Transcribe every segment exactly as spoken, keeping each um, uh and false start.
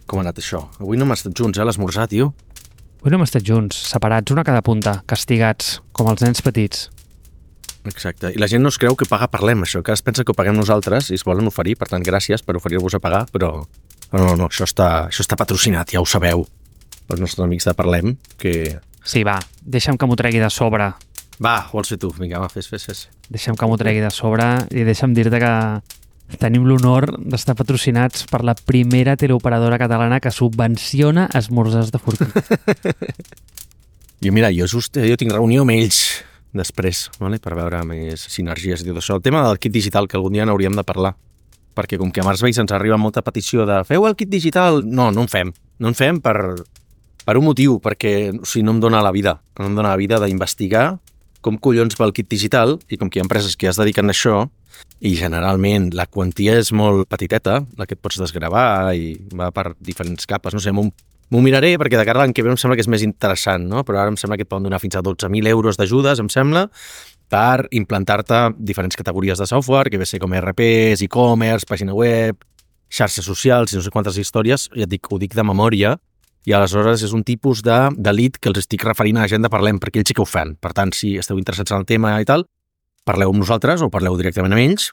Com ha anat això? Avui no hem estat junts, eh, a l'esmorzar, tio. Avui no hem estat junts, separats, una a cada punta, castigats, com els nens petits. Exacte. I la gent no es creu que paga Parlem, això, que es pensa que ho paguem nosaltres i es volen oferir, per tant, gràcies per oferir-vos a pagar, però no, no, no, això està, això està patrocinat, ja ho sabeu, els nostres amics de Parlem, que... Sí, va, deixa'm que m'ho tregui de sobre. Va, vols fer tu, vinga, va, fes, fes, fes. Deixa'm que m'ho tregui de sobre i deixa'm dir-te que tenim l'honor d'estar patrocinats per la primera teleoperadora catalana que subvenciona esmorzars de forquilla. I mira, jo just, jo tinc reunió amb ells després, vale? Per veure més sinergies i tot això. El tema del kit digital, que algun dia n'hauríem de parlar, perquè com que a Marsveis ens arriba molta petició de feu el kit digital, no, no en fem. No en fem per, per un motiu, perquè o sigui, no em dóna la vida. No em dóna la vida d'investigar com collons va el kit digital i com que hi ha empreses que ja es dediquen a això i generalment la quantia és molt petiteta, la que et pots desgravar i va per diferents capes. No sé, m'ho M'ho miraré perquè de cara a l'any que ve em sembla que és més interessant, no? Però ara em sembla que et poden donar fins a dotze mil euros d'ajudes, em sembla, per implantar-te diferents categories de software, que ve ser com E R Ps, e-commerce, pàgina web, xarxes socials i no sé quantes històries, ja et dic, ho dic de memòria, i aleshores és un tipus de, de lead que els estic referint a la gent de Parlem, perquè ells sí que ho fan. Per tant, si esteu interessats en el tema i tal, parleu amb nosaltres o parleu directament amb ells,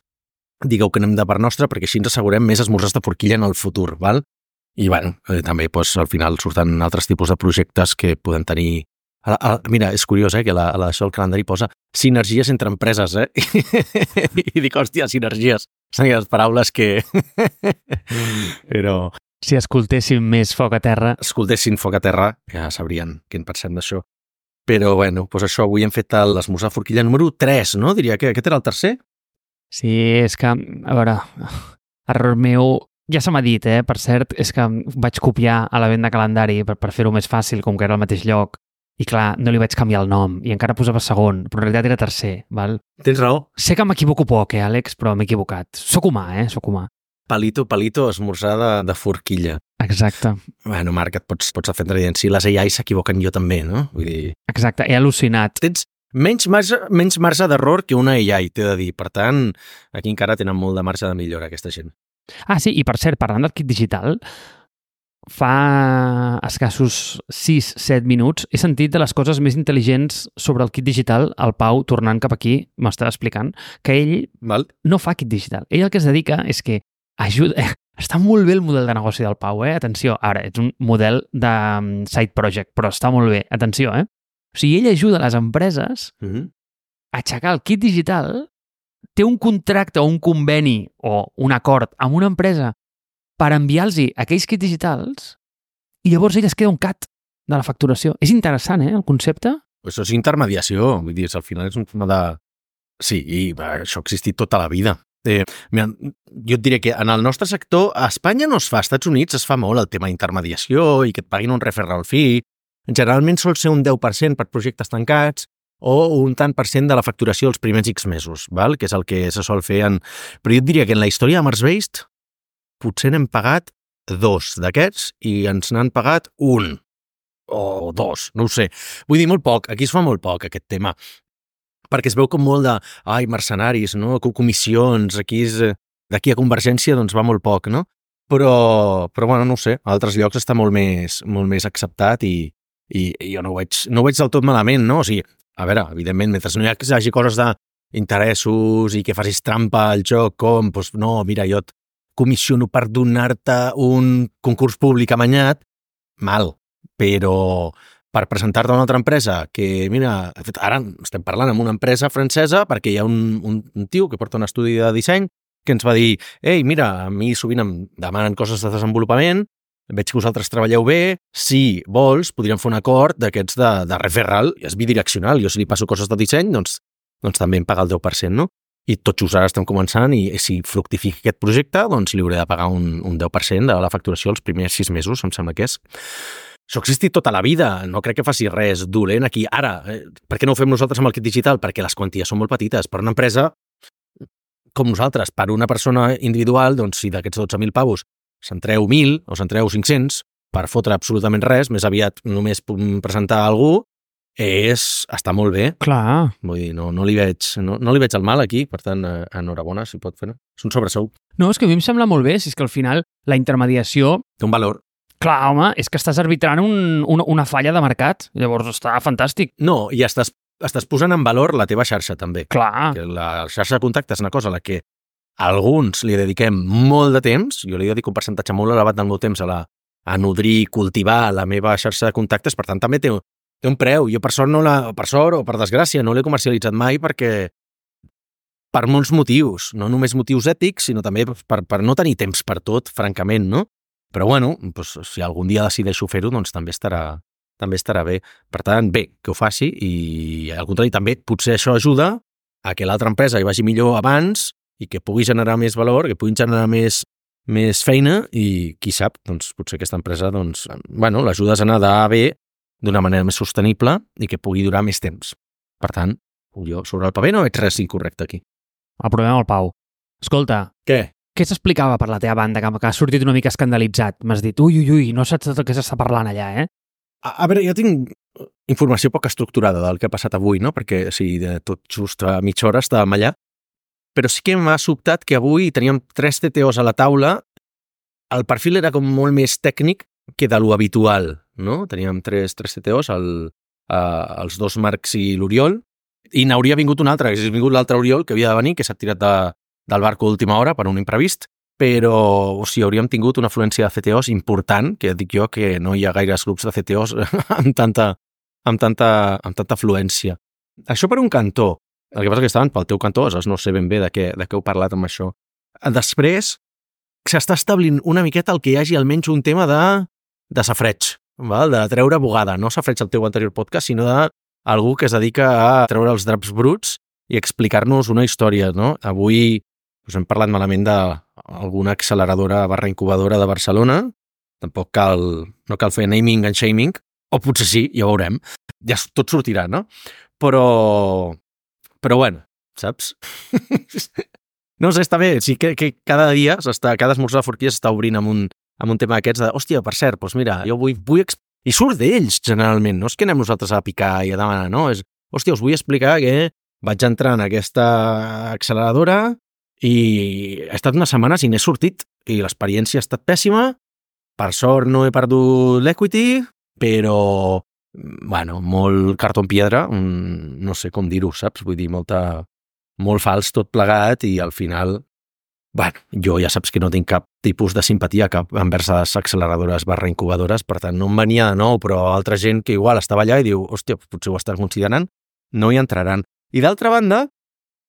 digueu que anem de part nostra perquè així ens assegurem més esmorzars de forquilla en el futur, val? I, bueno, eh, també doncs, al final surten altres tipus de projectes que poden tenir... A, a, mira, és curiós, eh, que la, a la, això el calendari posa sinergies entre empreses, eh? I dic, hòstia, sinergies. Són les paraules que... Però... Si escoltéssim més foc a terra... Escoltessin foc a terra, ja sabrien què en pensem d'això. Però, bueno, doncs això, avui hem fet l'esmorzar forquilla número tres, no? Diria que aquest era el tercer? Sí, és que, a veure, error meu... Ja se m'ha dit, eh? Per cert, és que vaig copiar a la venda calendari per, per fer-ho més fàcil, com que era al mateix lloc. I clar, no li vaig canviar el nom i encara posava segon, però en realitat era tercer, val? Tens raó. Sé que m'equivoco poc, eh, Àlex, però m'he equivocat. Soc humà, eh? Soc humà. Palito, palito, esmorzar de, de forquilla. Exacte. Bueno, Marc, et pots, pots defendre dient, si les A I s'equivoquen jo també, no? Vull dir... Exacte, he al·lucinat. Tens menys marge, menys marge d'error que una A I, t'he de dir. Per tant, aquí encara tenen molt de marge de millora, aquesta gent. Ah, sí, i per cert, parlant del kit digital, fa escassos sis set minuts he sentit de les coses més intel·ligents sobre el kit digital, el Pau, tornant cap aquí, m'estava explicant, que ell Val. no fa kit digital. Ell el que es dedica és que ajuda... Està molt bé el model de negoci del Pau, eh? Atenció, ara, és un model de side project, però està molt bé. Atenció, eh? O sigui, ell ajuda les empreses Mm-hmm. a aixecar el kit digital, té un contracte o un conveni o un acord amb una empresa per enviar-los aquells kits digitals i llavors ell es queda un cat de la facturació. És interessant, eh, el concepte? Això és intermediació, vull dir, al final és un tema de... Sí, i va, això ha existit tota la vida. Eh, mira, jo et diré que en el nostre sector, a Espanya no es fa, als Estats Units es fa molt el tema d'intermediació i que et paguin un referral fee. Generalment sol ser un deu per cent per projectes tancats, o un tant per cent de la facturació dels primers X mesos, val? Que és el que se sol fer en... Però jo et diria que en la història de Marsveis potser n'hem pagat dos d'aquests i ens n'han pagat un o dos, no ho sé. Vull dir, molt poc, aquí es fa molt poc aquest tema, perquè es veu com molt de, ai, mercenaris, no? Comissions, aquí és... D'aquí a Convergència doncs va molt poc, no? Però, però bueno, no ho sé, a altres llocs està molt més, molt més acceptat i, i, i jo no ho veig, no ho veig del tot malament, no? O sigui, a veure, evidentment, mentre no hi hagi coses d'interessos i que facis trampa al joc, com, doncs no, mira, jo et comissiono per donar-te un concurs públic amanyat, mal, però per presentar-te a una altra empresa que, mira, ara estem parlant amb una empresa francesa perquè hi ha un, un, un tio que porta un estudi de disseny que ens va dir, ei, mira, a mi sovint em demanen coses de desenvolupament, veig que vosaltres treballeu bé, si vols, podríem fer un acord d'aquests de, de referral, és bidireccional, jo si li passo coses de disseny, doncs, doncs també em paga el deu per cent, no? I tot just ara estem començant i si fructifica aquest projecte, doncs li hauré de pagar un, un deu per cent de la facturació els primers sis mesos, em sembla que és. Això ha existit tota la vida, no crec que faci res dolent aquí. Ara, eh, per què no ho fem nosaltres amb el kit digital? Perquè les quanties són molt petites. Per una empresa com nosaltres, per una persona individual, doncs si d'aquests dotze mil pavos se'n treu mil o se'n treu cinc-cents per fotre absolutament res, més aviat només presentar a algú, és, està molt bé. Clar. Vull dir, no, no, li veig, no, no li veig el mal aquí, per tant, enhorabona, si pot fer. És un sobresou. No, és que a mi em sembla molt bé, si és que al final la intermediació... Té un valor. Clar, home, és que estàs arbitrant un, una, una falla de mercat. Llavors està fantàstic. No, i estàs, estàs posant en valor la teva xarxa, també. Clar. Que la xarxa de contactes és una cosa a la que alguns li dediquem molt de temps, jo li dedico un percentatge molt elevat del meu temps a, la, a nodrir, cultivar la meva xarxa de contactes, per tant també té, té un preu. Jo per sort, no la, per sort o per desgràcia no l'he comercialitzat mai perquè per molts motius, no només motius ètics, sinó també per, per no tenir temps per tot, francament, no? Però bueno, doncs, si algun dia decideixo fer-ho, doncs també estarà, també estarà bé. Per tant, bé, que ho faci i al contrari també potser això ajuda a que l'altra empresa hi vagi millor abans i que pugui generar més valor, que pugui generar més, més feina i qui sap, doncs potser aquesta empresa doncs, bueno, l'ajudes a anar d'A a B d'una manera més sostenible i que pugui durar més temps. Per tant, jo sobre el paper no veig res incorrecte aquí. Aprovem el Pau. Escolta, què? Què s'explicava per la teva banda, que, que has sortit una mica escandalitzat? M'has dit, ui, ui, ui, no saps tot el que s'està parlant allà, eh? A, a veure, jo tinc informació poc estructurada del que ha passat avui, no? Perquè, sí, de tot just a mitja hora estàvem allà, però sí que m'ha sobtat que avui teníem tres T T Os a la taula, el perfil era com molt més tècnic que de lo habitual, no? Teníem tres, tres T T Os, el, uh, els dos Marcs i l'Oriol, i n'hauria vingut un altre, que hagués vingut l'altre Oriol, que havia de venir, que s'ha tirat de, del barco a última hora per un imprevist, però o sigui, hauríem tingut una afluència de C T Os important, que dic jo que no hi ha gaires grups de C T Os amb tanta, amb tanta, amb tanta afluència. Això per un cantó. El que passa que estaven pel teu cantó, aleshores no sé ben bé de què, de què heu parlat amb això. Després, s'està establint una miqueta el que hi hagi almenys un tema de, de safreig, val? De treure bugada. No safreig el teu anterior podcast, sinó de algú que es dedica a treure els draps bruts i explicar-nos una història, no? Avui us hem parlat malament d'alguna acceleradora barra incubadora de Barcelona, tampoc cal, no cal fer naming and shaming, o potser sí, ja ho veurem, ja tot sortirà, no? Però, però bueno, saps? No sé, està bé, sí que, que cada dia, s'està, cada esmorzar de forquilla s'està obrint amb un, amb un tema d'aquests de, hòstia, per cert, doncs mira, jo vull, vull i surt d'ells, generalment, no és que anem nosaltres a picar i a demanar, no, és, hòstia, us vull explicar que vaig entrar en aquesta acceleradora i he estat unes setmanes i n'he sortit i l'experiència ha estat pèssima, per sort no he perdut l'equity, però, bueno, molt cartó en piedra, no sé com dir-ho, saps? Vull dir, molta, molt fals tot plegat i al final, bueno, jo ja saps que no tinc cap tipus de simpatia cap envers les acceleradores barra incubadores, per tant no em venia de nou, però altra gent que igual estava allà i diu, hòstia, potser ho estan considerant, no hi entraran. I d'altra banda,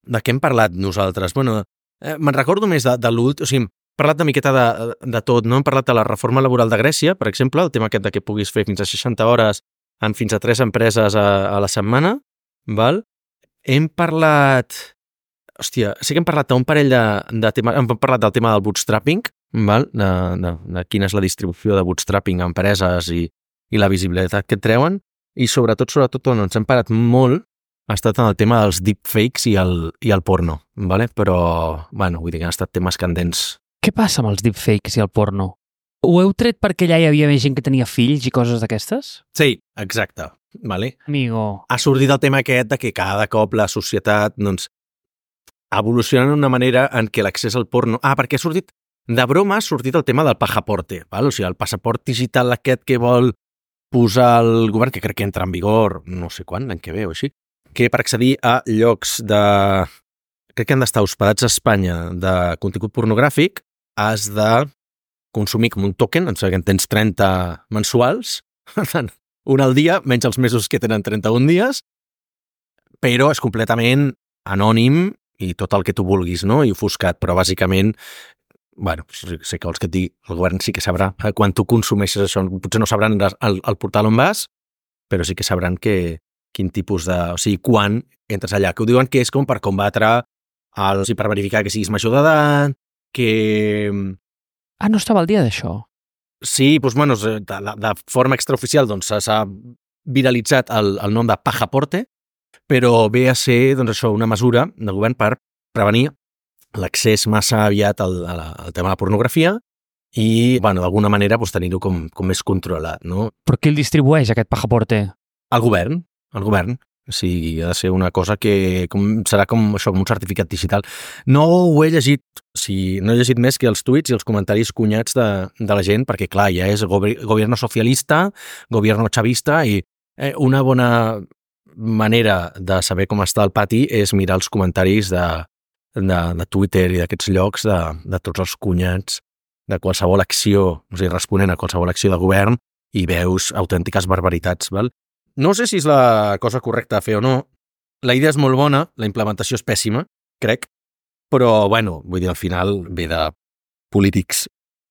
de què hem parlat nosaltres? Bueno, eh, me'n recordo més de, de l'últim, o sigui, hem parlat de miqueta de, de tot, no? Hem parlat de la reforma laboral de Grècia, per exemple, el tema aquest de que puguis fer fins a seixanta hores en fins a tres empreses a, a la setmana, val? Hem parlat... Hòstia, sí que hem parlat d'un parell de, de temes, hem parlat del tema del bootstrapping, val? De, de, de quina és la distribució de bootstrapping a empreses i, i la visibilitat que et treuen, i sobretot, sobretot, on ens hem parat molt ha estat en el tema dels deepfakes i el, i el porno, vale? Però, bueno, vull dir que han estat temes candents. Què passa amb els deepfakes i el porno? Ho heu tret perquè allà hi havia més gent que tenia fills i coses d'aquestes? Sí, exacte. Vale? Amigo. Ha sortit el tema aquest de que cada cop la societat, doncs, evoluciona d'una manera en què l'accés al porno... Ah, perquè ha sortit, de broma, ha sortit el tema del pajaporte, val? O sigui, el passaport digital aquest que vol posar el govern, que crec que entra en vigor, no sé quan, l'any que ve o així, que per accedir a llocs de... crec que han d'estar hospedats a Espanya de contingut pornogràfic, has de consumir com un token, em sembla que en tens trenta mensuals, un al dia, menys els mesos que tenen trenta-un dies, però és completament anònim i tot el que tu vulguis, no? I ofuscat, però bàsicament, bueno, sé que vols que et digui, el govern sí que sabrà quan tu consumeixes això, potser no sabran el, el portal on vas, però sí que sabran que quin tipus de... O sigui, quan entres allà, que ho diuen que és com per combatre els, i per verificar que siguis major d'edat, que... Ah, no estava al dia d'això? Sí, doncs, bueno, de, de, de forma extraoficial doncs, s'ha viralitzat el, el nom de pajaporte, però ve a ser doncs, això, una mesura del govern per prevenir l'accés massa aviat al, al tema de la pornografia i, bueno, d'alguna manera doncs, tenir-ho com, com més controlat, no? Però qui el distribueix, aquest pajaporte? El govern, el govern. O sigui, ha de ser una cosa que com, serà com això, com un certificat digital. No ho he llegit, o sigui, no he llegit més que els tuits i els comentaris cunyats de, de la gent, perquè clar, ja és gover gobierno socialista, gobierno chavista, i eh, una bona manera de saber com està el pati és mirar els comentaris de, de, de Twitter i d'aquests llocs de, de tots els cunyats de qualsevol acció, o sigui, responent a qualsevol acció de govern, i veus autèntiques barbaritats, val? No sé si és la cosa correcta a fer o no. La idea és molt bona, la implementació és pèssima, crec, però, bueno, vull dir, al final ve de polítics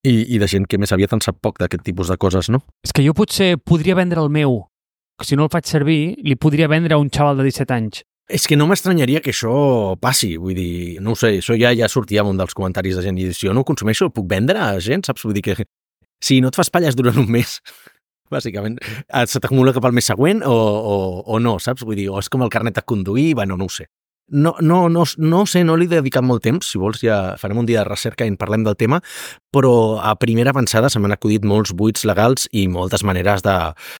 i, i de gent que més aviat en sap poc d'aquest tipus de coses, no? És que jo potser podria vendre el meu, que si no el faig servir, li podria vendre a un xaval de disset anys. És que no m'estranyaria que això passi, vull dir, no ho sé, això ja ja sortia en un dels comentaris de gent, i si jo no ho consumeixo, el puc vendre a gent, saps? Vull dir que si no et fas palles durant un mes, bàsicament, se t'acumula cap al mes següent o, o, o no, saps? Vull dir, o és com el carnet de conduir, bueno, no ho sé. No, no, no, no sé, no li he dedicat molt temps, si vols ja farem un dia de recerca i en parlem del tema, però a primera avançada se m'han acudit molts buits legals i moltes maneres de,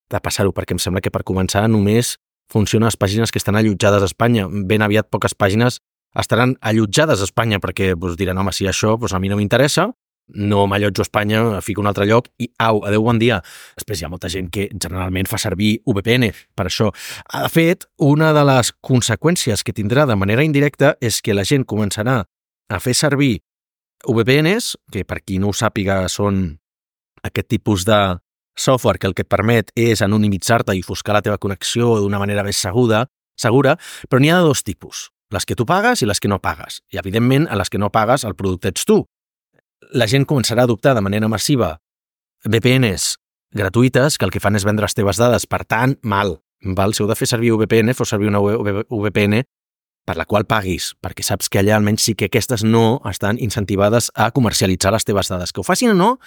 de passar-ho, perquè em sembla que per començar només funcionen les pàgines que estan allotjades a Espanya. Ben aviat poques pàgines estaran allotjades a Espanya perquè doncs, diran, home, si això doncs, a mi no m'interessa, no m'allotjo a Espanya, fico un altre lloc i au, adeu, bon dia. Després hi ha molta gent que generalment fa servir V P N per això. De fet, una de les conseqüències que tindrà de manera indirecta és que la gent començarà a fer servir V P Ns, que per qui no ho sàpiga són aquest tipus de software que el que et permet és anonimitzar-te i ofuscar la teva connexió d'una manera més segura, segura, però n'hi ha de dos tipus, les que tu pagues i les que no pagues. I, evidentment, a les que no pagues el producte ets tu. La gent començarà a adoptar de manera massiva V P Ns gratuïtes que el que fan és vendre les teves dades. Per tant, mal. Val? Si heu de fer servir V P N, feu servir una V P N per la qual paguis, perquè saps que allà almenys sí que aquestes no estan incentivades a comercialitzar les teves dades. Que ho facin o no,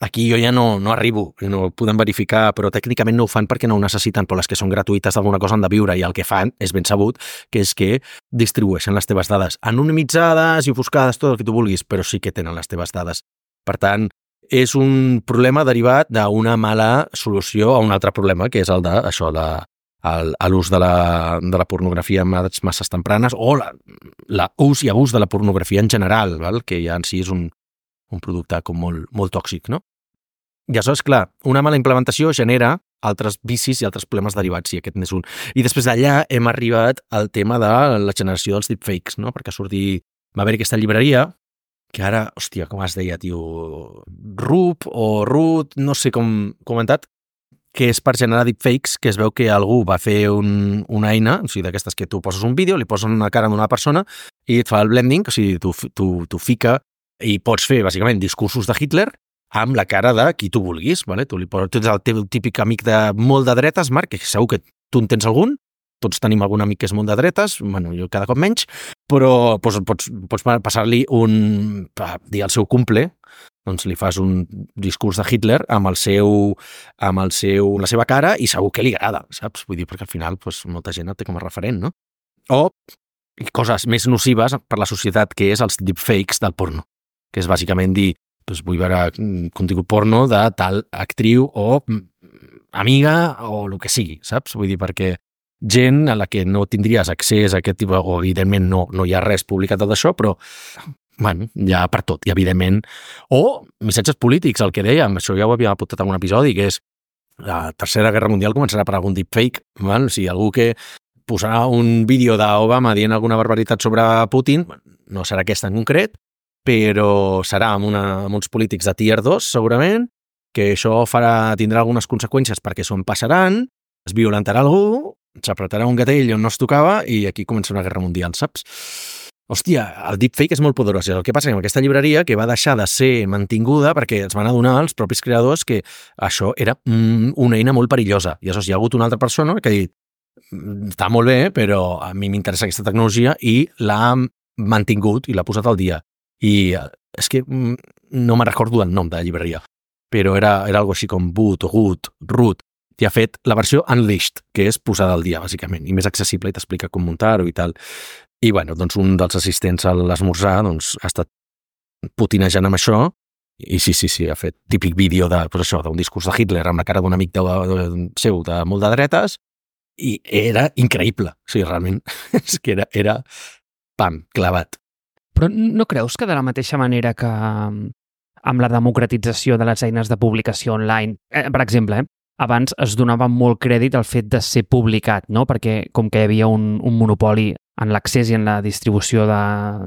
aquí jo ja no, no arribo, no ho podem verificar, però tècnicament no ho fan perquè no ho necessiten, però les que són gratuïtes d'alguna cosa han de viure, i el que fan és ben sabut, que és que distribueixen les teves dades anonimitzades i ofuscades, tot el que tu vulguis, però sí que tenen les teves dades. Per tant, és un problema derivat d'una mala solució a un altre problema, que és el de això, de, el, l'ús de la, de la pornografia en edats masses tempranes, o la, la ús i abús de la pornografia en general, val? Que ja en si és un, un producte com molt, molt tòxic, no? I això és clar, una mala implementació genera altres vicis i altres problemes derivats, i aquest n'és un. I després d'allà hem arribat al tema de la generació dels deepfakes, no? Perquè sortir, va haver aquesta llibreria, que ara, hòstia, com es deia, tio, Rup o Root, no sé com comentat, que és per generar deepfakes, que es veu que algú va fer un, una eina, o sigui, d'aquestes que tu poses un vídeo, li poses una cara d'una persona i et fa el blending, o sigui, tu, tu, tu fica i pots fer, bàsicament, discursos de Hitler amb la cara de qui tu vulguis, vale? Tu li poses, tu ets el teu típic amic de molt de dretes, Marc, que segur que tu en tens algun, tots tenim algun amic que és molt de dretes, bueno, jo cada cop menys, però pots, pots, pots passar-li un, dir el seu cumple, doncs li fas un discurs de Hitler amb el seu, amb el seu, la seva cara, i segur que li agrada, saps? Vull dir, perquè al final doncs, molta gent el té com a referent, no? O coses més nocives per la societat, que és els deepfakes del porno, que és bàsicament dir, doncs vull veure contingut porno de tal actriu o amiga o el que sigui, saps? Vull dir, perquè gent a la que no tindries accés a aquest tipus, o evidentment no, no hi ha res publicat d'això, però bueno, hi ha per tot, i evidentment, o missatges polítics, el que dèiem, això ja ho havíem apuntat en un episodi, que és la Tercera Guerra Mundial començarà per algun deepfake, val? O sigui, algú que posarà un vídeo d'Obama dient alguna barbaritat sobre Putin, no serà aquesta en concret, però serà amb, una, amb uns polítics de tier dos, segurament, que això farà, tindrà algunes conseqüències perquè s'ho passaran, es violentarà algú, s'apretarà un gatell on no es tocava i aquí comença una guerra mundial, saps? Hòstia, el deepfake és molt poderós. El que passa que amb aquesta llibreria, que va deixar de ser mantinguda perquè es van adonar els propis creadors que això era una eina molt perillosa. I aleshores hi ha hagut una altra persona que ha dit, està molt bé, però a mi m'interessa aquesta tecnologia, i l'ha mantingut i l'ha posat al dia. I és que no me'n recordo el nom de la llibreria, però era, era algo així com Boot, Root, Root, i ha fet la versió Unleashed, que és posada al dia, bàsicament, i més accessible, i t'explica com muntar-ho i tal. I, bueno, doncs un dels assistents a l'esmorzar doncs, ha estat putinejant amb això, i sí, sí, sí, ha fet típic vídeo de, doncs això, d'un discurs de Hitler amb la cara d'un amic de, de, seu de molt de dretes, i era increïble. O sigui, realment, és que era, era pam, clavat. Però no creus que de la mateixa manera que amb la democratització de les eines de publicació online, eh, per exemple, eh, abans es donava molt crèdit al fet de ser publicat, no? Perquè com que hi havia un, un monopoli en l'accés i en la distribució de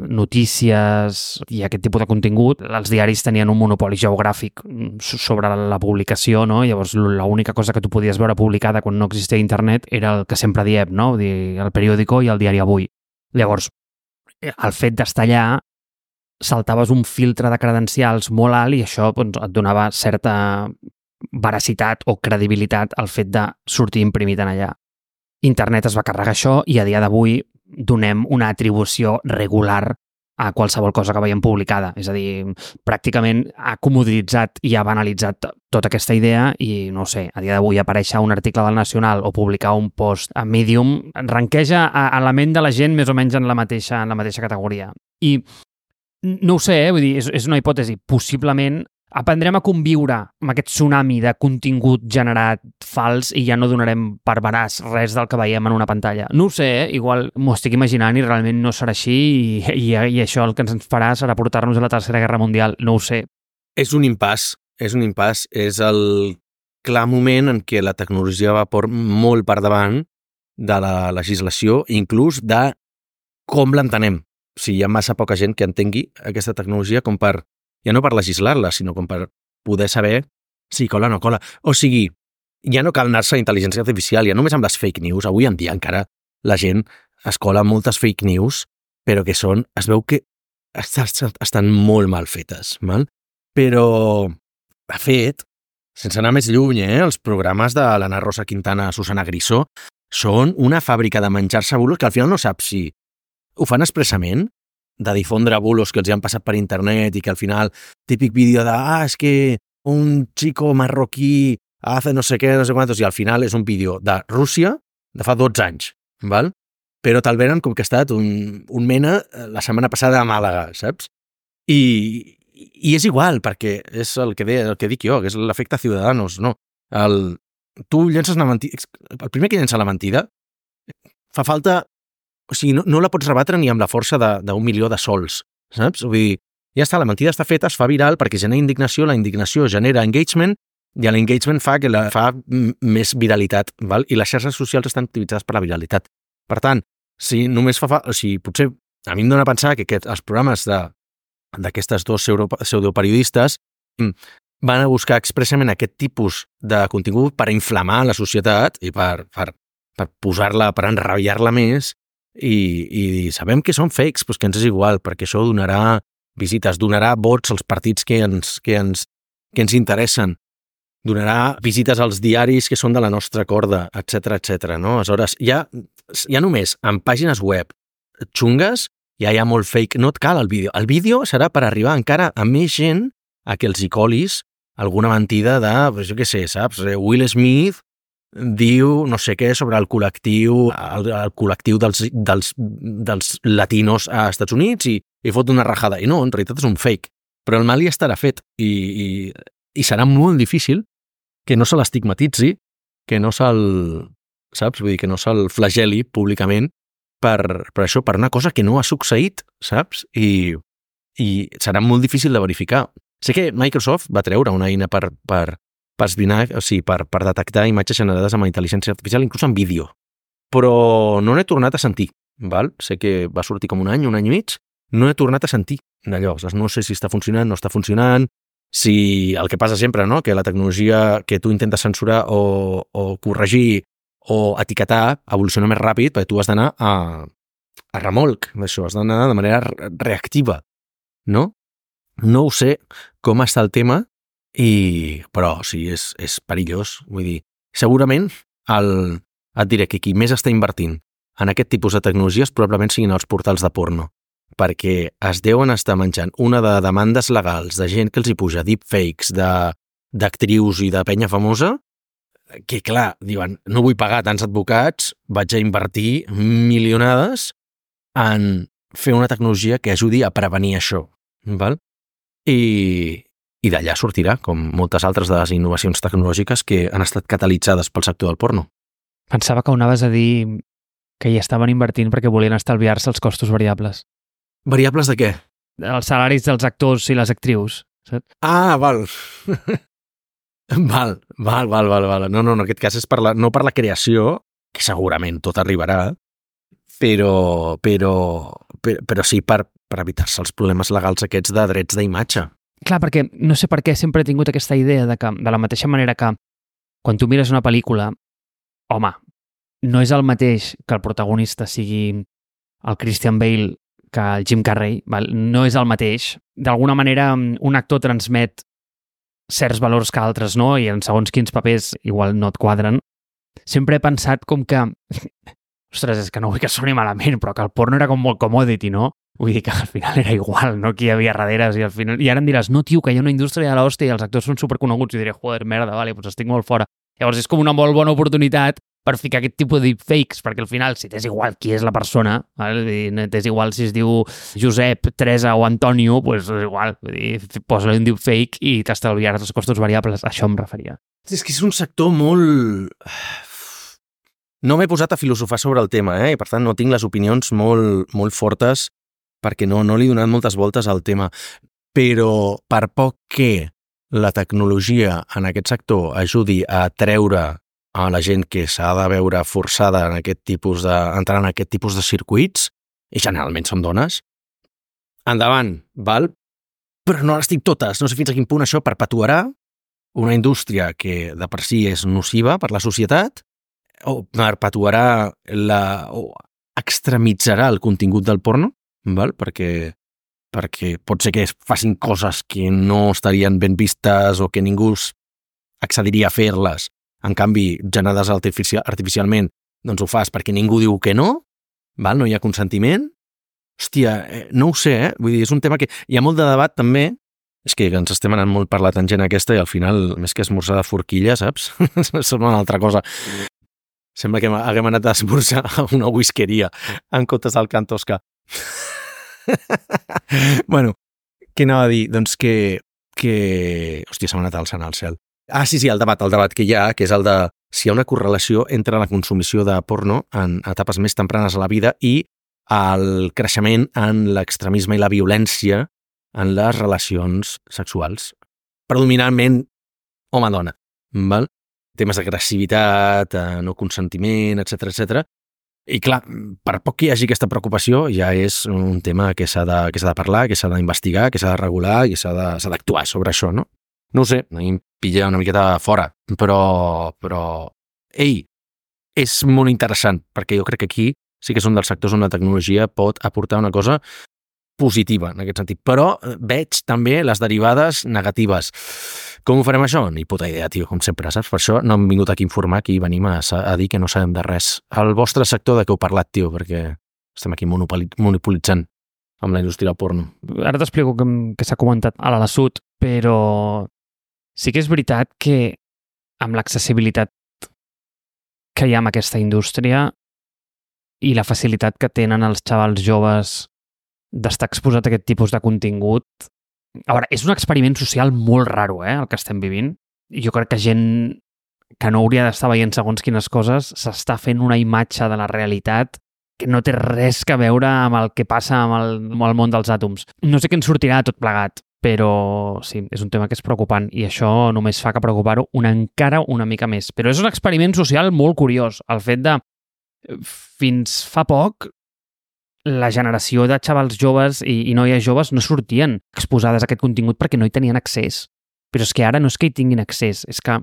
notícies i aquest tipus de contingut, els diaris tenien un monopoli geogràfic sobre la publicació, no? Llavors, l'única cosa que tu podies veure publicada quan no existia internet era el que sempre diem, no? Vull dir, el periòdico i el diari Avui. Llavors, el fet d'estar allà, saltaves un filtre de credencials molt alt i això doncs, et donava certa veracitat o credibilitat al fet de sortir imprimit en allà. Internet es va carregar això i a dia d'avui donem una atribució regular a qualsevol cosa que veiem publicada. És a dir, pràcticament ha comoditzat i ha banalitzat tota aquesta idea i, no sé, a dia d'avui aparèixer un article del Nacional o publicar un post a Medium ranqueja a, a la ment de la gent més o menys en la mateixa, en la mateixa categoria. I no ho sé, eh? Vull dir, és, és una hipòtesi. Possiblement aprendrem a conviure amb aquest tsunami de contingut generat fals i ja no donarem per veraç res del que veiem en una pantalla. No ho sé, eh? Igual m'ho estic imaginant i realment no serà així i, i, i això el que ens farà serà portar-nos a la Tercera Guerra Mundial. No ho sé. És un impàs, és un impàs. És el clar moment en què la tecnologia va por molt per davant de la legislació, inclús de com l'entenem. O sigui, hi ha massa poca gent que entengui aquesta tecnologia com per, ja no per legislar-la, sinó com per poder saber si cola o no cola. O sigui, ja no cal anar-se a intel·ligència artificial, ja només amb les fake news. Avui en dia encara la gent es cola moltes fake news, però que són, es veu que estan molt mal fetes, mal? Però, de fet, sense anar més lluny, eh, els programes de l'Anna Rosa Quintana, Susana Grisó, són una fàbrica de menjar-se bulos que al final no saps si ho fan expressament, de difondre bulos que els han passat per internet i que al final, típic vídeo de ah, és que un xico marroquí hace no sé què, no sé quantos, i al final és un vídeo de Rússia de fa dotze anys, val? Però te'l venen com que ha estat un, un mena la setmana passada a Màlaga, saps? I, i és igual, perquè és el que, de, el que dic jo, que és l'efecte Ciudadanos, no? El, tu llences una mentida, el primer que llença la mentida fa falta. O sigui, no, no la pots rebatre ni amb la força d'un milió de sols, saps? Vull dir, ja està, la mentida està feta, es fa viral perquè genera indignació, la indignació genera engagement i l'engagement fa que la fa més viralitat, val? I les xarxes socials estan utilitzades per la viralitat. Per tant, si només fa... fa o sigui, potser a mi em dóna a pensar que aquest, els programes d'aquestes dos pseudoperiodistes van a buscar expressament aquest tipus de contingut per inflamar la societat i per, per, per posar-la, per enrabiar-la més. I, i sabem que són fakes, doncs que ens és igual, perquè això donarà visites, donarà vots als partits que ens, que ens, que ens interessen, donarà visites als diaris que són de la nostra corda, etcètera, etcètera, no? Aleshores, ja, ja només en pàgines web xungues ja hi ha molt fake, no et cal el vídeo. El vídeo serà per arribar encara a més gent a que els hi colis alguna mentida de, pues, jo què sé, saps? Will Smith diu no sé què sobre el col·lectiu el, el col·lectiu dels, dels, dels latinos a Estats Units i, i fot una rajada. I no, en realitat és un fake. Però el mal ja estarà fet i, i, i serà molt difícil que no se l'estigmatitzi, que no se'l, saps? Vull dir, que no se'l flageli públicament per, per això, per una cosa que no ha succeït, saps? I, i serà molt difícil de verificar. Sé que Microsoft va treure una eina per, per per esbrinar, o sigui, per, per detectar imatges generades amb intel·ligència artificial, inclús en vídeo. Però no n'he tornat a sentir, val? Sé que va sortir com un any, un any i mig, no he tornat a sentir d'allò. No sé si està funcionant, no està funcionant, si el que passa sempre, no?, que la tecnologia que tu intentes censurar o, o corregir o etiquetar evoluciona més ràpid, perquè tu has d'anar a, a remolc d'això, has d'anar de manera reactiva, no? No ho sé com està el tema, I, però sí, és, és perillós. Vull dir, segurament el, et diré que qui més està invertint en aquest tipus de tecnologies probablement siguin els portals de porno, perquè es deuen estar menjant una de demandes legals de gent que els hi puja deepfakes d'actrius i de penya famosa, que clar, diuen, no vull pagar tants advocats, vaig a invertir milionades en fer una tecnologia que ajudi a prevenir això, val? I I d'allà sortirà, com moltes altres de les innovacions tecnològiques que han estat catalitzades pel sector del porno. Pensava que ho anaves a dir que hi estaven invertint perquè volien estalviar-se els costos variables. Variables de què? Els salaris dels actors i les actrius, saps? Ah, val. val, val, val, val, val. No, no, en aquest cas és per la, no per la creació, que segurament tot arribarà, però, però, però, però sí per, per evitar-se els problemes legals aquests de drets d'imatge. Clar, perquè no sé per què sempre he tingut aquesta idea de que, de la mateixa manera que quan tu mires una pel·lícula, home, no és el mateix que el protagonista sigui el Christian Bale que el Jim Carrey, val? No és el mateix. D'alguna manera, un actor transmet certs valors que altres no, i en segons quins papers igual no et quadren. Sempre he pensat com que... Ostres, és que no vull que soni malament, però que el porno era com molt commodity, no? Vull dir que al final era igual, no? Qui hi havia darrere, i al final... I ara em diràs, no, tio, que hi ha una indústria de l'hòstia i els actors són superconeguts, i diré, joder, merda, vale, doncs estic molt fora. Llavors és com una molt bona oportunitat per ficar aquest tipus de deepfakes, perquè al final, si t'és igual qui és la persona, val? T'és igual si es diu Josep, Teresa o Antonio, doncs és igual, vull dir, posa-li un deepfake i t'estalviaràs els costos variables, a això em referia. És que és un sector molt... No m'he posat a filosofar sobre el tema, eh? I per tant no tinc les opinions molt, molt fortes perquè no, no li he donat moltes voltes al tema. Però per poc que la tecnologia en aquest sector ajudi a treure a la gent que s'ha de veure forçada en aquest tipus de, entrar en aquest tipus de circuits, i generalment són dones, endavant, val? Però no les tinc totes. No sé fins a quin punt això perpetuarà una indústria que de per si és nociva per la societat, o perpetuarà la, o extremitzarà el contingut del porno, val? Perquè, perquè pot ser que es facin coses que no estarien ben vistes o que ningú accediria a fer-les. En canvi, generades artificial, artificialment, doncs ho fas perquè ningú diu que no, val? No hi ha consentiment. Hòstia, eh, no ho sé, eh? Vull dir, és un tema que hi ha molt de debat també. És que ens estem anant molt per la tangent aquesta i al final, més que esmorzar de forquilla, saps? Sembla una altra cosa. Sembla que haguem anat a esmorzar a una whiskeria en comptes del Can Tosca. Bueno, què anava a dir? Doncs que... que... Hòstia, s'ha anat alçant al cel. Ah, sí, sí, el debat, el debat que hi ha, que és el de si hi ha una correlació entre la consumició de porno en etapes més tempranes a la vida i el creixement en l'extremisme i la violència en les relacions sexuals. Predominantment home-dona, val? Temes d'agressivitat, no consentiment, etcètera, etcètera. I clar, per poc que hi hagi aquesta preocupació, ja és un tema que s'ha de, que s'ha de parlar, que s'ha d'investigar, que s'ha de regular, que s'ha de, s'ha d'actuar sobre això, no? No ho sé, a mi em pilla una miqueta fora, però, però, ei, és molt interessant, perquè jo crec que aquí sí que és un dels sectors on la tecnologia pot aportar una cosa positiva en aquest sentit, però veig també les derivades negatives. Com ho farem això? Ni puta idea, tio, com sempre, saps? Per això no hem vingut aquí a informar, aquí venim a, a dir que no sabem de res. El vostre sector de què heu parlat, tio, perquè estem aquí monopolitzant amb la indústria del porno. Ara t'explico que, que s'ha comentat a la Sud, però sí que és veritat que amb l'accessibilitat que hi ha amb aquesta indústria i la facilitat que tenen els xavals joves d'estar exposat a aquest tipus de contingut. A veure, és un experiment social molt raro, eh, el que estem vivint. Jo crec que gent que no hauria d'estar veient segons quines coses s'està fent una imatge de la realitat que no té res a veure amb el que passa amb el, amb el món dels àtoms. No sé què en sortirà tot plegat, però sí, és un tema que és preocupant i això només fa que preocupar-ho una encara una mica més. Però és un experiment social molt curiós, el fet de fins fa poc la generació de xavals joves i, i noies joves no sortien exposades a aquest contingut perquè no hi tenien accés. Però és que ara no és que hi tinguin accés, és que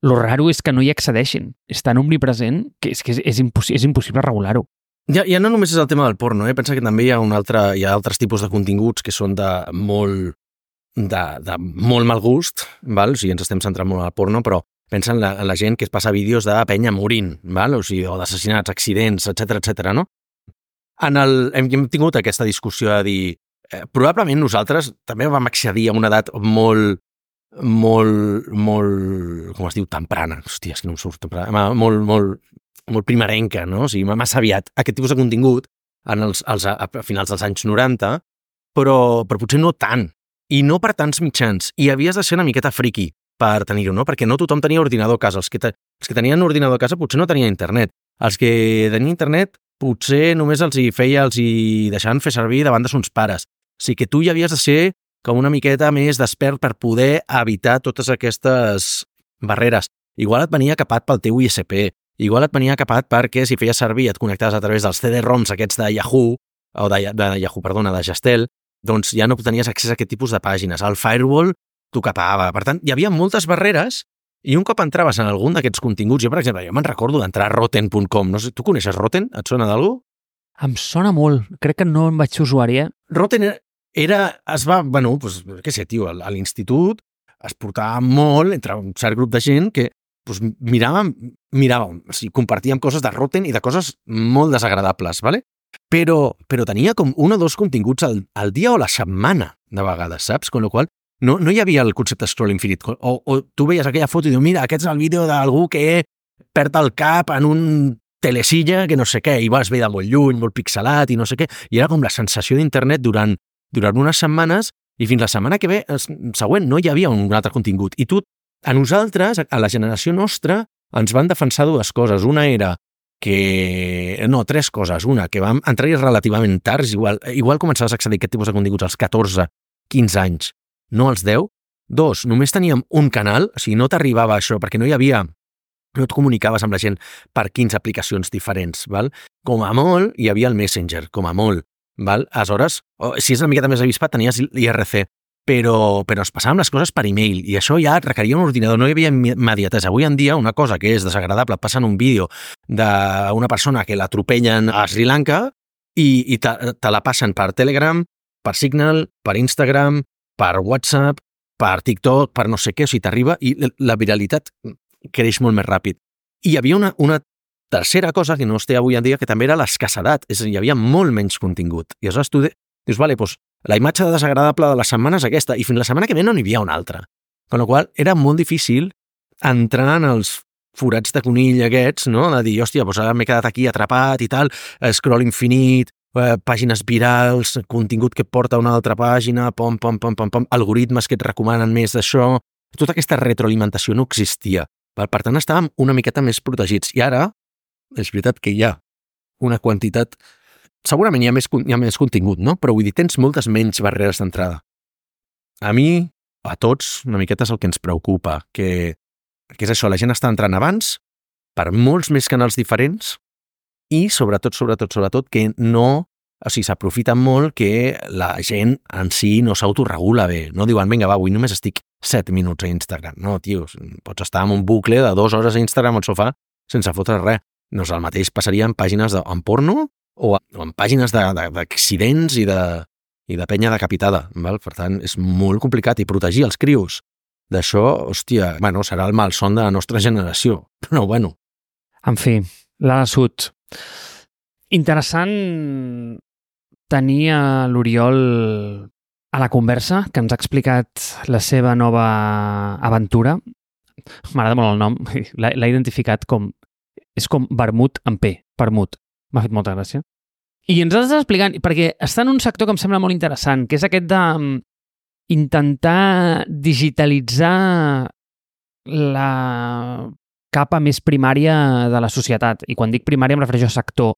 lo raro és que no hi accedeixin. És tan omnipresent que és, que és, és, impossi és impossible regular-ho. Ja, ja no només és el tema del porno, eh? Pensa que també hi ha, un altre, hi ha altres tipus de continguts que són de molt, de, de molt mal gust, val? O sigui, ens estem centrant molt al porno, però pensa en la, en la gent que es passa vídeos de penya morint, val? O sigui, o d'assassinats, accidents, etcètera, etcètera, no? En el, hem, hem tingut aquesta discussió de dir eh, probablement nosaltres també vam accedir a una edat molt, molt, molt, com es diu, temprana, hòstia, és que no em surt temprana, molt, molt, molt primerenca, no? O sigui, massa aviat aquest tipus de contingut en els, els, a finals dels anys noranta, però, però potser no tant, i no per tants mitjans, i havies de ser una miqueta friqui per tenir-ho, no? Perquè no tothom tenia ordinador a casa. Els que, te, els que tenien ordinador a casa potser no tenien internet. Els que tenien internet potser només els hi feia, els hi deixaven fer servir davant de sons pares. O sigui que tu ja havies de ser com una miqueta més despert per poder evitar totes aquestes barreres. Igual et venia capat pel teu I S P, igual et venia capat perquè si feies servir et connectaves a través dels C D-ROMs aquests de Yahoo, o de, de Yahoo, perdona, de Gestel, doncs ja no tenies accés a aquest tipus de pàgines. El firewall t'ho capava. Per tant, hi havia moltes barreres i un cop entraves en algun d'aquests continguts, jo, per exemple, jo me'n recordo d'entrar a rotten punt com. No sé, tu coneixes Rotten? Et sona d'algú? Em sona molt. Crec que no en vaig ser usuari, eh? Rotten era... Es va... Bueno, doncs, què sé, tio, a l'institut es portava molt entre un cert grup de gent que doncs, miràvem, miràvem, o sigui, compartíem coses de Rotten i de coses molt desagradables, ¿vale? Però, però tenia com un o dos continguts al, al dia o la setmana, de vegades, saps? Con lo qual, no, no hi havia el concepte scroll infinit. O, o tu veies aquella foto i dius, mira, aquest és el vídeo d'algú que perd el cap en un telesilla que no sé què, i vas veure molt lluny, molt pixelat i no sé què, i era com la sensació d'internet durant, durant unes setmanes i fins la setmana que ve, següent, no hi havia un altre contingut. I tu, a nosaltres, a la generació nostra, ens van defensar dues coses. Una era que... No, tres coses. Una, que vam entrar-hi relativament tard, igual, igual començaves a accedir a aquest tipus de continguts als catorze, quinze anys, no als deu. Dos, només teníem un canal, o sigui, no t'arribava això, perquè no hi havia... no et comunicaves amb la gent per quinze aplicacions diferents, val? Com a molt, hi havia el Messenger, com a molt, val? Aleshores, oh, si és una miqueta més avispat, tenies l'I R C, però, però es passaven les coses per e-mail, i això ja et requeria un ordinador, no hi havia immediatesa. Avui en dia, una cosa que és desagradable, passant un vídeo d'una persona que l'atropellen a Sri Lanka i, i te, te la passen per Telegram, per Signal, per Instagram, per WhatsApp, per TikTok, per no sé què, o sigui, t'arriba i la viralitat creix molt més ràpid. I hi havia una, una tercera cosa que no es té avui en dia, que també era l'escassedat, és a dir, hi havia molt menys contingut. I aleshores tu dius, vale, doncs la imatge desagradable de la setmana és aquesta, i fins la setmana que ve no n'hi havia una altra. Con la qual era molt difícil entrar en els forats de conill aquests, no? De dir, hòstia, doncs ara m'he quedat aquí atrapat i tal, scroll infinit, eh, pàgines virals, contingut que et porta a una altra pàgina, pom, pom, pom, pom, pom, algoritmes que et recomanen més d'això. Tota aquesta retroalimentació no existia. Per tant, estàvem una miqueta més protegits. I ara, és veritat que hi ha una quantitat... Segurament hi ha més, hi ha més contingut, no? Però vull dir, tens moltes menys barreres d'entrada. A mi, a tots, una miqueta és el que ens preocupa, que, que és això, la gent està entrant abans per molts més canals diferents i, sobretot, sobretot, sobretot, que no... O sigui, s'aprofita molt que la gent en si no s'autoregula bé. No diuen, vinga, va, avui només estic set minuts a Instagram. No, tio, pots estar en un bucle de dues hores a Instagram al sofà sense fotre res. No és el mateix passaria en pàgines de, en porno o en pàgines d'accidents i de, i de penya decapitada. Val? Per tant, és molt complicat. I protegir els crios d'això, hòstia, bueno, serà el malson de la nostra generació. Però, bueno. En fi, la sud. Interessant tenir a l'Oriol a la conversa, que ens ha explicat la seva nova aventura. M'agrada molt el nom, l'ha identificat com... És com vermut amb P, vermut. M'ha fet molta gràcia. I ens has explicant, perquè està en un sector que em sembla molt interessant, que és aquest de intentar digitalitzar la capa més primària de la societat. I quan dic primària em refereixo a sector,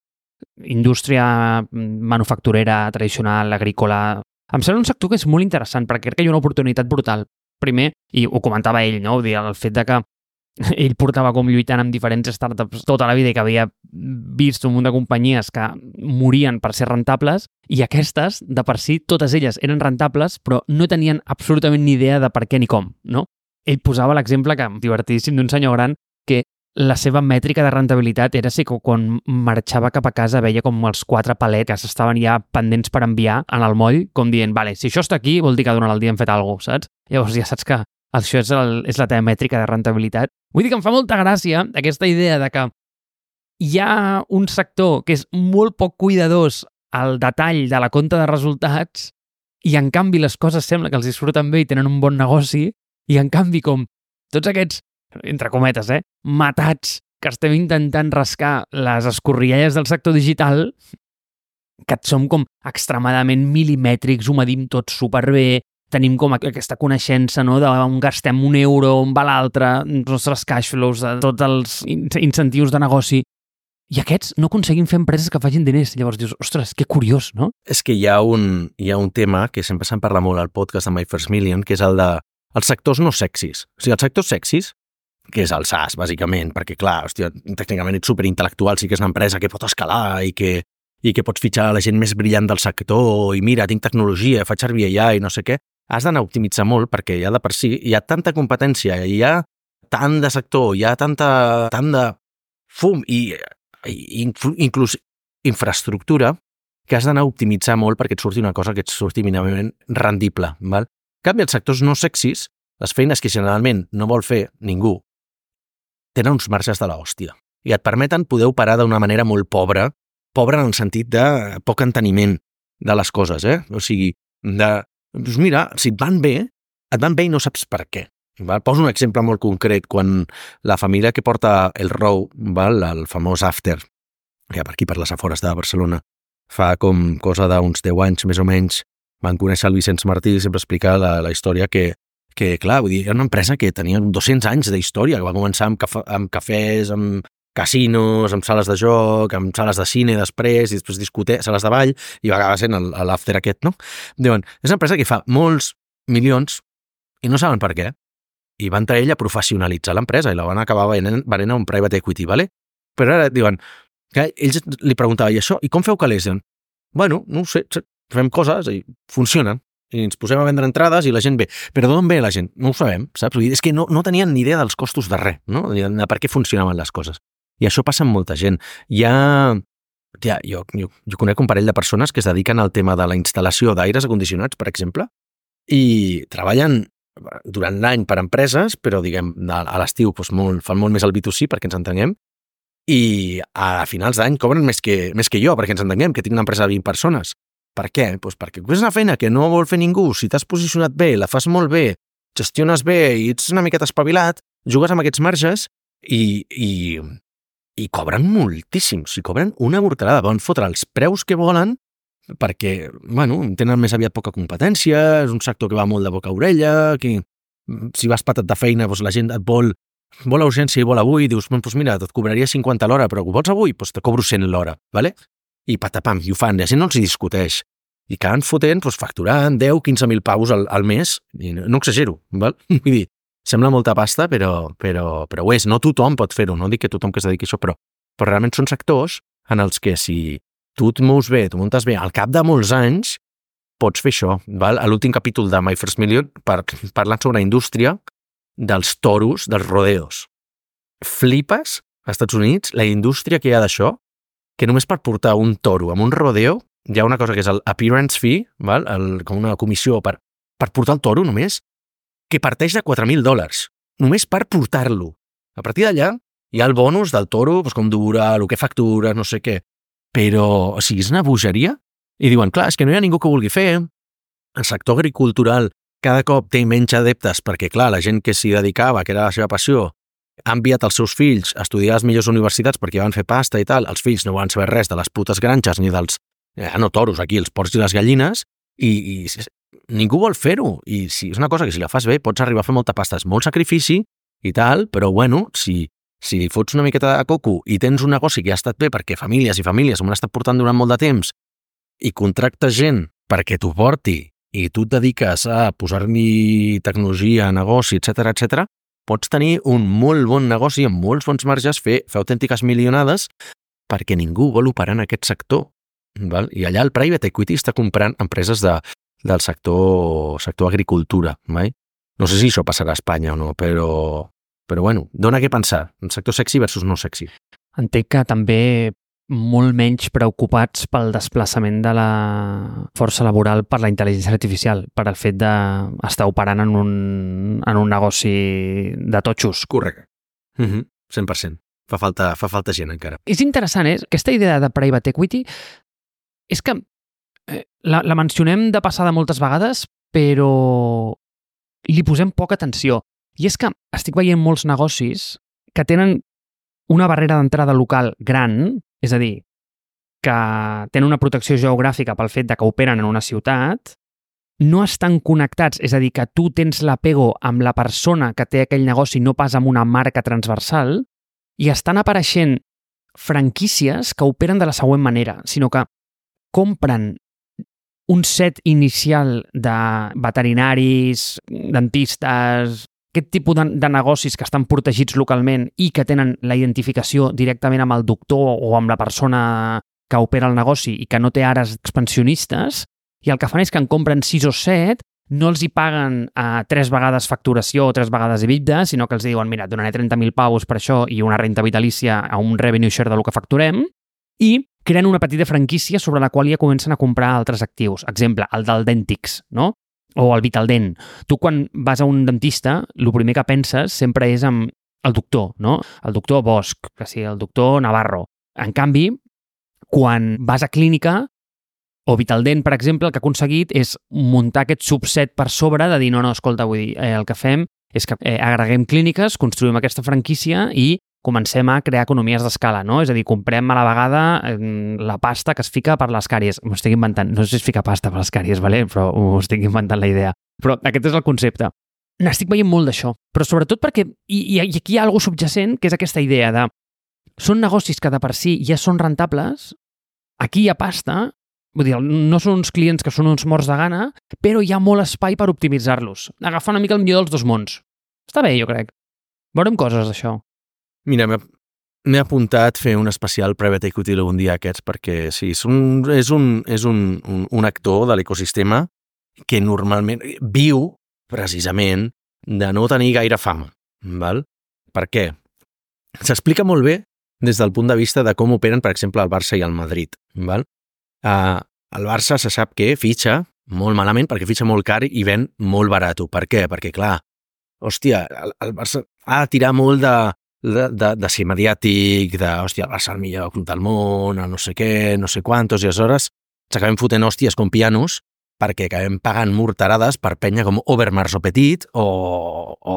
indústria manufacturera, tradicional, agrícola. Em sembla un sector que és molt interessant perquè crec que hi ha una oportunitat brutal. Primer, i ho comentava ell, no? El fet de que ell portava com lluitant amb diferents startups tota la vida i que havia vist un munt de companyies que morien per ser rentables i aquestes, de per si, totes elles eren rentables però no tenien absolutament ni idea de per què ni com, no? Ell posava l'exemple que divertidíssim d'un senyor gran que la seva mètrica de rentabilitat era si quan marxava cap a casa veia com els quatre palets que s'estaven ja pendents per enviar en el moll, com dient, vale, si això està aquí vol dir que durant el dia hem fet alguna cosa, saps? Llavors ja saps que això és, el, és la teva mètrica de rentabilitat. Vull dir que em fa molta gràcia aquesta idea de que hi ha un sector que és molt poc cuidadós al detall de la compta de resultats i en canvi les coses sembla que els disfruten bé i tenen un bon negoci i en canvi com tots aquests entre cometes, eh, matats que estem intentant rascar les escorrialles del sector digital, que som com extremadament milimètrics, ho medim tot superbé, tenim com aquesta coneixença, no?, d'on gastem un euro, on va l'altre, els nostres cash flows, tots els incentius de negoci. I aquests no aconseguim fer empreses que facin diners. Llavors dius, ostres, que curiós, no? És que hi ha un, hi ha un tema que sempre se'n parla molt al podcast de My First Million, que és el de els sectors no sexis. O sigui, els sectors sexis, que és el SaaS, bàsicament, perquè, clar, hòstia, tècnicament ets superintel·lectual, sí que és una empresa que pot escalar i que, i que pots fitxar la gent més brillant del sector i mira, tinc tecnologia, faig servir A I i no sé què. Has d'anar a optimitzar molt perquè ja de per si hi ha tanta competència, hi ha tant de sector, hi ha tanta, tant de fum i, i inclús infraestructura que has d'anar a optimitzar molt perquè et surti una cosa que et surti mínimament rendible. Val? En canvi, els sectors no sexis, les feines que generalment no vol fer ningú, tenen uns marges de l'hòstia i et permeten poder operar d'una manera molt pobra, pobra en el sentit de poc enteniment de les coses, eh? O sigui, de, doncs mira, si et van bé, et van bé i no saps per què. Val? Poso un exemple molt concret, quan la família que porta el Row, val? El famós After, que per aquí per les afores de Barcelona, fa com cosa d'uns deu anys més o menys, van conèixer el Vicenç Martí i sempre explicar la, la història que que, clar, vull dir, era una empresa que tenia dos-cents anys d'història, que va començar amb, cafè, amb cafès, amb casinos, amb sales de joc, amb sales de cine després, i després discoteques, sales de ball, i va acabar sent l'after aquest, no? Diuen, és una empresa que fa molts milions i no saben per què. I van entrar ell a professionalitzar l'empresa i la van acabar venent, venent a un private equity, ¿vale? Però ara diuen, que ells li preguntaven, i això, i com feu calés? Diuen, bueno, no ho sé, fem coses i funcionen. I ens posem a vendre entrades i la gent ve. Però d'on ve la gent? No ho sabem, saps? És que no, no tenien ni idea dels costos de res, no? De per què funcionaven les coses. I això passa amb molta gent. Hi ha... Ja, jo, jo, jo conec un parell de persones que es dediquen al tema de la instal·lació d'aires acondicionats, per exemple, i treballen durant l'any per empreses, però, diguem, a l'estiu doncs, molt, fan molt més el B dos C, perquè ens entenguem, i a finals d'any cobren més que, més que jo, perquè ens entenguem, que tinc una empresa de vint persones. Per què? Pues perquè és una feina que no vol fer ningú. Si t'has posicionat bé, la fas molt bé, gestiones bé i ets una miqueta espavilat, jugues amb aquests marges i, i, i cobren moltíssim. O sigui, cobren una mortalada. Van fotre els preus que volen perquè, bueno, tenen més aviat poca competència, és un sector que va molt de boca a orella, que si vas patat de feina, doncs la gent et vol, vol a urgència i vol avui, i dius, doncs mira, et cobraria cinquanta l'hora, però ho vols avui? Doncs te cobro cent l'hora, ¿vale? I patapam, i ho fan, i la gent no els hi discuteix. I acaben fotent, doncs, facturant deu a quinze mil paus al, al mes, i no, no exagero, val? Vull dir, sembla molta pasta, però, però, però ho és. No tothom pot fer-ho, no dic que tothom que es dediqui a això, però, però realment són sectors en els que si tu et mous bé, tu muntes bé, al cap de molts anys pots fer això. Val? A l'últim capítol de My First Million par, parlant sobre la indústria dels toros, dels rodeos. Flipes, als Estats Units, la indústria que hi ha d'això, que només per portar un toro amb un rodeo hi ha una cosa que és el appearance fee, val? El, com una comissió per, per portar el toro només, que parteix de quatre mil dòlars, només per portar-lo. A partir d'allà hi ha el bonus del toro, doncs com dura, el que factura, no sé què. Però, o sigui, és una bogeria. I diuen, clar, és que no hi ha ningú que vulgui fer. El sector agricultural cada cop té menys adeptes perquè, clar, la gent que s'hi dedicava, que era la seva passió, ha enviat els seus fills a estudiar a les millors universitats perquè van fer pasta i tal. Els fills no van saber res de les putes granges ni dels, eh, no toros aquí, els porcs i les gallines, i, i ningú vol fer-ho. I si és una cosa que si la fas bé pots arribar a fer molta pasta. És molt sacrifici i tal, però bueno, si, si li fots una miqueta de coco i tens un negoci que ha estat bé perquè famílies i famílies m'ho han estat portant durant molt de temps i contractes gent perquè t'ho porti i tu et dediques a posar-li tecnologia, negoci, etcètera, etcètera, pots tenir un molt bon negoci amb molts bons marges, fer, fer autèntiques milionades perquè ningú vol operar en aquest sector. Val? I allà el private equity està comprant empreses de, del sector, sector agricultura. Mai? No sé si això passarà a Espanya o no, però, però bueno, dona què pensar. El sector sexy versus no sexy. Entenc que també molt menys preocupats pel desplaçament de la força laboral per la intel·ligència artificial, per el fet d'estar operant en un, en un negoci de totxos. Correcte. Mm-hmm. cent per cent. Fa falta, fa falta gent encara. És interessant, eh? Aquesta idea de private equity és que eh, la, la mencionem de passada moltes vegades, però li posem poca atenció. I és que estic veient molts negocis que tenen una barrera d'entrada local gran, és a dir, que tenen una protecció geogràfica pel fet de que operen en una ciutat, no estan connectats, és a dir, que tu tens l'apego amb la persona que té aquell negoci, no pas amb una marca transversal, i estan apareixent franquícies que operen de la següent manera, sinó que compren un set inicial de veterinaris, dentistes, aquest tipus de, de negocis que estan protegits localment i que tenen la identificació directament amb el doctor o amb la persona que opera el negoci i que no té ares expansionistes, i el que fan és que en compren sis o set, no els hi paguen a tres vegades facturació o tres vegades EBITDA, sinó que els diuen, mira, donaré trenta mil paus per això i una renta vitalícia a un revenue share del que facturem, i creen una petita franquícia sobre la qual ja comencen a comprar altres actius. Exemple, el del Dentix, no? O el Vitaldent. Tu quan vas a un dentista, el primer que penses sempre és en el doctor, no? El doctor Bosch, que sí, el doctor Navarro. En canvi, quan vas a clínica, o Vitaldent, per exemple, el que ha aconseguit és muntar aquest subset per sobre de dir, no, no, escolta, vull dir, eh, el que fem és que eh, agreguem clíniques, construïm aquesta franquícia i comencem a crear economies d'escala, no? És a dir, comprem a la vegada eh, la pasta que es fica per les càries. M'ho estic inventant. No sé si es fica pasta per les càries, vale? Però ho estic inventant la idea. Però aquest és el concepte. N'estic veient molt d'això. Però sobretot perquè, i, i aquí hi ha alguna subjacent, que és aquesta idea de són negocis que de per si ja són rentables, aquí hi ha pasta, vull dir, no són uns clients que són uns morts de gana, però hi ha molt espai per optimitzar-los. Agafar una mica el millor dels dos mons. Està bé, jo crec. Veurem coses d'això. Mira, m'he apuntat fer un especial private equity algun dia aquests, perquè sí, és un, és un, és un, un, un actor de l'ecosistema que normalment viu precisament de no tenir gaire fama. Val? Per què? S'explica molt bé des del punt de vista de com operen, per exemple, el Barça i el Madrid. Val? Uh, el Barça se sap que fitxa molt malament perquè fitxa molt car i ven molt barat. Per què? Perquè, clar, hòstia, el, el Barça ha de tirar molt de, de, de, de ser mediàtic, de, hòstia, el Barça el millor club del món, el no sé què, no sé quantos, i aleshores s'acabem fotent hòsties com pianos perquè acabem pagant morterades per penya com Overmars o Petit o, o,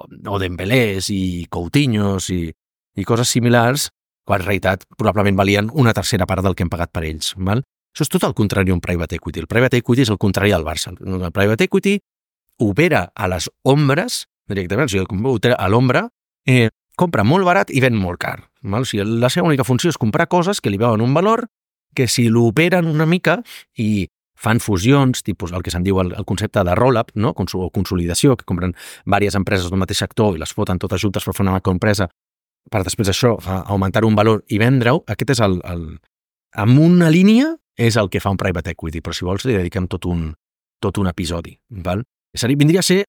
o Dembélés i Coutinhos i, i coses similars, quan en realitat probablement valien una tercera part del que hem pagat per ells. Val? Això és tot el contrari d'un private equity. El private equity és el contrari del Barça. El private equity opera a les ombres, directament, o sigui, opera a l'ombra, eh, compra molt barat i ven molt car. Val? O sigui, la seva única funció és comprar coses que li veuen un valor, que si l'operen una mica i fan fusions, tipus el que se'n diu el, el concepte de roll-up, no? O consolidació, que compren diverses empreses del mateix sector i les foten totes juntes per fer una macroempresa per després això augmentar un valor i vendre-ho, aquest és el, el... amb una línia és el que fa un private equity, però si vols li dediquem tot un, tot un episodi. Val? Seria, vindria a ser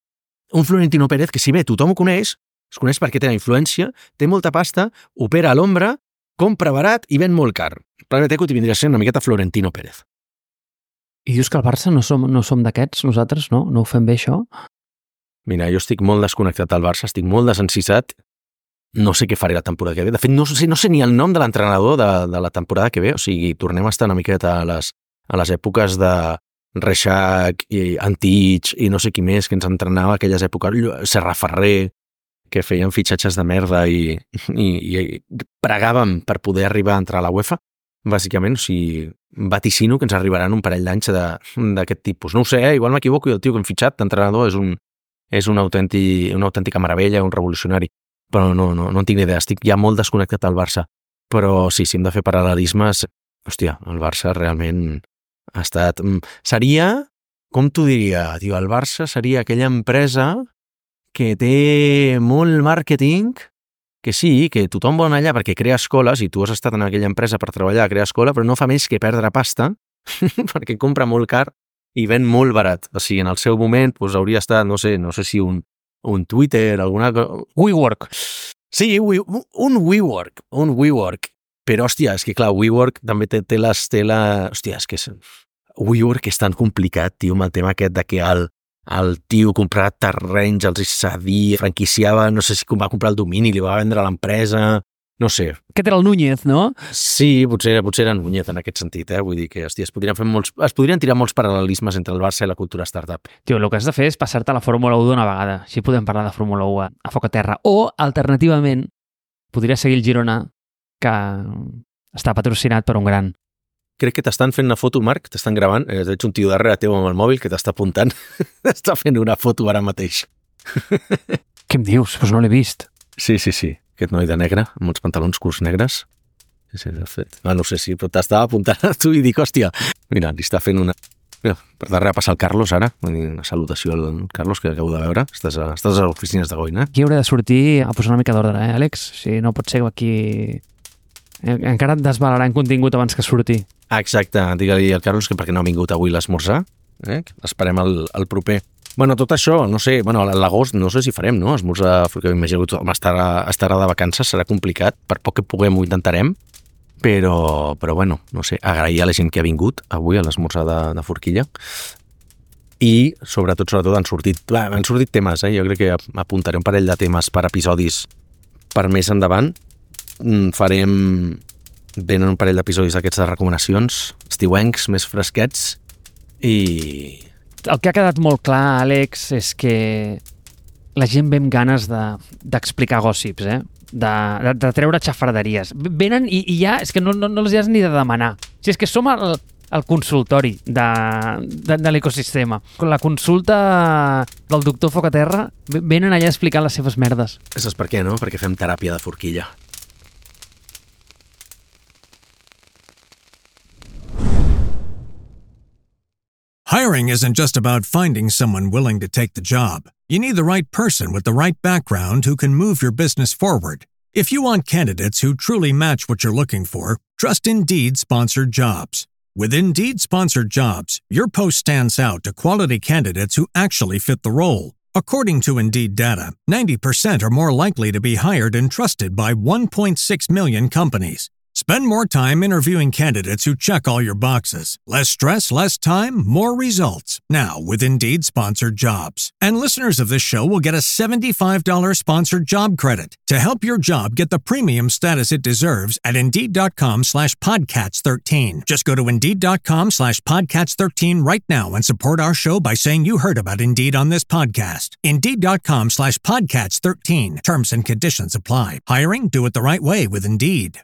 un Florentino Pérez que, si bé tothom ho coneix, es coneix perquè té la influència, té molta pasta, opera a l'ombra, compra barat i ven molt car. El private equity vindria a ser una miqueta Florentino Pérez. I dius que el Barça no som, no som d'aquests, nosaltres, no? No ho fem bé, això? Mira, jo estic molt desconnectat del Barça, estic molt desencisat, no sé què faré la temporada que ve. De fet, no sé, no sé ni el nom de l'entrenador de, de la temporada que ve, o sigui, tornem a estar una miqueta a les, a les èpoques de Reixac i Antich i no sé qui més que ens entrenava aquelles èpoques, Serra Ferrer, que feien fitxatges de merda i, i, i pregàvem per poder arribar a entrar a la UEFA, bàsicament, o sigui, vaticino que ens arribaran un parell d'anys d'aquest tipus. No ho sé, eh? Igual m'equivoco i el tio que hem fitxat d'entrenador és, un, és un autèntic, una autèntica meravella, un revolucionari, però no, no, no en tinc ni idea, estic ja molt desconnectat al Barça. Però sí, si hem de fer paral·lelismes, hòstia, el Barça realment ha estat... Seria, com t'ho diria, tio, el Barça seria aquella empresa que té molt màrqueting, que sí, que tothom vol anar allà perquè crea escoles i tu has estat en aquella empresa per treballar a crear escola, però no fa més que perdre pasta perquè compra molt car i ven molt barat. O sigui, en el seu moment doncs, hauria estat, no sé, no sé si un, un Twitter, alguna cosa... WeWork. Sí, we, un WeWork, un WeWork. Però, hòstia, és que clar, WeWork també té, té, les, té la... Hòstia, és que és... WeWork és tan complicat, tio, amb el tema aquest de que el, el tio comprava terrenys, els cedia, franquiciava, no sé si va comprar el domini, li va vendre a l'empresa, no sé. Aquest era el Núñez, no? Sí, potser, potser era Núñez en aquest sentit, eh? Vull dir que, hòstia, es podrien, fer molts, es podrien tirar molts paral·lelismes entre el Barça i la cultura startup. Tio, el que has de fer és passar-te a la Fórmula u d'una vegada. Així podem parlar de Fórmula u a, a foc a terra. O, alternativament, podria seguir el Girona, que està patrocinat per un gran. crec que t'estan fent una foto, Marc, t'estan gravant, eh, veig un tio darrere teu amb el mòbil que t'està apuntant, t'està fent una foto ara mateix. Què em dius? Pues no l'he vist. Sí, sí, sí, aquest noi de negre, amb uns pantalons curts negres. Sí, sí, de fet. Ah, no sé si, però t'estava apuntant a tu i dic, hòstia, mira, li està fent una... Mira, per darrere passa el Carlos ara, una salutació al Carlos que acabo de veure, estàs a, estàs a les oficines de Goin, eh? Aquí hauré de sortir a posar una mica d'ordre, eh, Àlex? Si no pot ser aquí... Encara et desvalarà en contingut abans que surti. Ah, exacte, digue-li al Carlos que perquè no ha vingut avui l'esmorzar, eh? Esperem el, el proper. Bueno, tot això, no sé, bueno, a l'agost no sé si farem, no? Esmorzar, perquè m'imagino que tothom estarà, estarà de vacances, serà complicat, per poc que puguem ho intentarem, però, però bueno, no sé, agrair a la gent que ha vingut avui a l'esmorzar de, de Forquilla i sobretot, sobretot han sortit, han sortit temes, eh? Jo crec que apuntaré un parell de temes per episodis per més endavant. Farem, venen un parell d'episodis d'aquests de recomanacions, estiuencs, més fresquets i... El que ha quedat molt clar, Àlex, és que la gent ve amb ganes d'explicar de, gòssips, eh? De, de, de treure xafarderies. Venen i, i ja, és que no, no, no els has ni de demanar. O sigui, és que som el, el consultori de, de, de l'ecosistema. La consulta del doctor Focaterra, venen allà a explicar les seves merdes. Saps per què, no? Perquè fem teràpia de forquilla. Hiring isn't just about finding someone willing to take the job. You need the right person with the right background who can move your business forward. If you want candidates who truly match what you're looking for, trust Indeed Sponsored Jobs. With Indeed Sponsored Jobs, your post stands out to quality candidates who actually fit the role. According to Indeed data, ninety percent are more likely to be hired and trusted by one point six million companies. Spend more time interviewing candidates who check all your boxes. Less stress, less time, more results. Now with Indeed Sponsored Jobs. And listeners of this show will get a seventy-five dollars sponsored job credit to help your job get the premium status it deserves at Indeed.com slash Podcats 13. Just go to Indeed.com slash Podcats 13 right now and support our show by saying you heard about Indeed on this podcast. Indeed.com slash Podcats 13. Terms and conditions apply. Hiring? Do it the right way with Indeed.